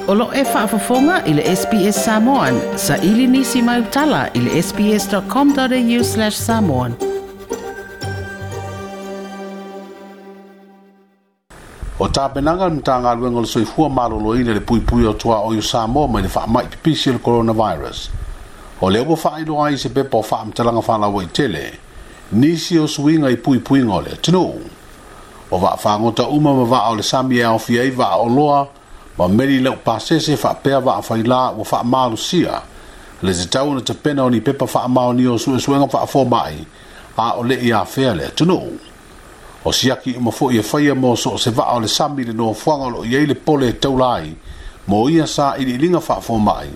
O lo e faafofoga i le SBS Samoan. Saili nisi mai utala i le sbs.com.au/samoan. O tapenaga le Matagaluega o le Soifua Maloloina i le puipuia o tuaoi o Samoa mai le faamai pipisi o le coronavirus. O lea ua faailoa ai i se pepa o faamatalaga faalauaitele nisi o suiga i puipuiga o le atunuu. O vaafagota uma ma vaa o le sami e aofia ai vaa oloa ma meli laupasese faapea vaa failā ua faamalosia le tatau ona tapena o ni pepa faamaonia o suesuega faafomai a o le i afea le atunuu. O siaki uma foi e faia mo so o se vaa o le sami le nofoaga o lo o i ai le pole e taula ai mo ia sailiiliga faafomai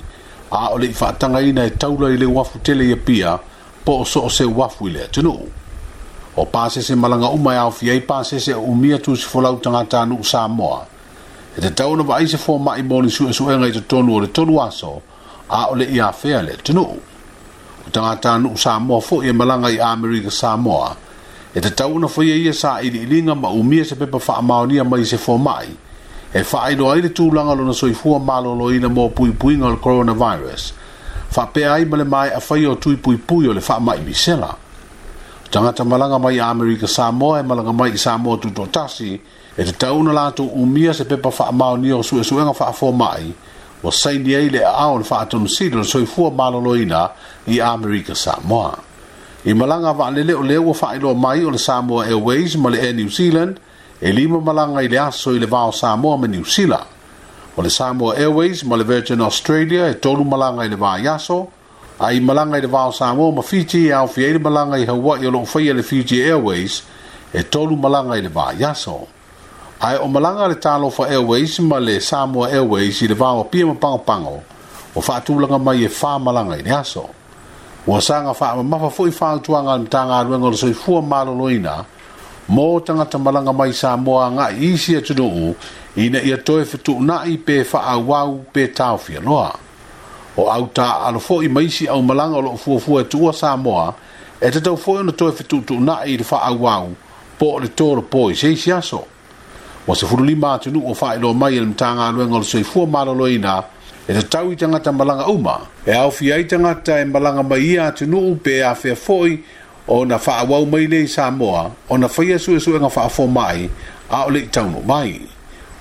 a o le i faatagaina e taula i le uafu tele i Apia po o so o se uafu i le atunuu. O pasese malaga uma e aofia ai pasese o umia tusifolau tagatanuu Samoa e tatau ona vaai se fomai mo ni suesuega i totonu o le 3 aso a o le i afea le atunuu. O tagatanuu Samoa foi e malaga i Amerika Samoa e tatau ona faia ia sailiiliga ma umia se pepa faamaonia mai se fomai e faailoa ai le tulaga o lona soifua maloloina mo puipuiga o le coronavirus faapea ai ma le maea faia o tui puipui o le faamai misela. O tagata malaga mai Amerika Samoa e malaga mai i Samoa tutoatasi e tatau ona latou umia se pepa faamaonia o suesuega faafomai ua saini ai le aao o le faatonusili o le soifua maloloina i Amerika Samoa. I malaga vaalele o lea ua faailoa mai o le Samoa Airways ma le Air New Zealand e 5 malaga i le aso i le va o Samoa ma Niu Sila. O le Samoa Airways ma le Virgin Australia e 3 malaga i le vaiaso, a i malaga i le va o Samoa ma Fiji e aofia ai le malaga i Hawaii o lo o faia le Fiji Airways e 3 malaga i le vaiaso. Ae o malaga le Talofa Airways ma le Samoa Airways i le va o Apia ma Pagopago o faatulaga mai e 4 malaga i le aso. Ua saga faamamafa foi fautuaga a le Matagaluega o le Soifua Maloloina mo tagata malaga mai Samoa agai i isi atunuu ina ia toe fetuunai pe faaauau pe taofia loa. O au taaalo foi ma isi aumalaga o lo o fuafua e tuua Samoa e tatau foi ona toe fetuutuunai i le faaauau po o le tolopo i se isi aso. Ua 15 atunuu o faailoa mai e le Matagaluega o le Soifua Maloloina e tatau i tagata malaga uma e aofia ai tagata e malaga mai ia atunuu pe afea foi ona faaauau mai lea i Samoa ona faia suesuega faafomai a o le i taunuu mai.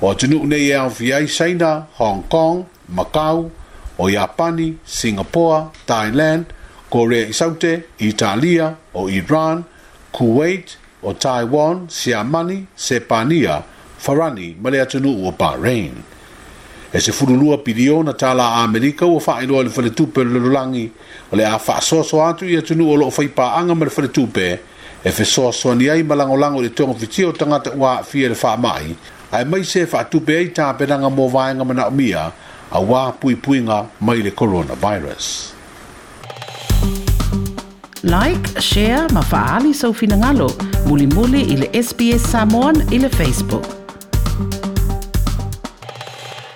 O atunuu nei e aofia ai Saina, Hong Kong, Macau, o Iapani, Singapore, Thailand, Korea i Saute, Italia, o Iran, Kuwait, o Taiwan, Siamani, Sepania, Farani ma le atunuu o Bahrain. E $12 piliona tālā Amerika ua faailoa i le faletupe o le lalolagi o le a faasoasoa atu i atunuu o lo o faipaanga ma le faletupe e fesoasoani ai ma lagolago i le togafitia o tagata ua aafia i le faamai aemaise e faatupe ai tapenaga mo vaega manaomia auā puipuiga mai le coronavirus. Like, share ma faaali sou finagalo mulimuli i le SBS Samoan i le Facebook.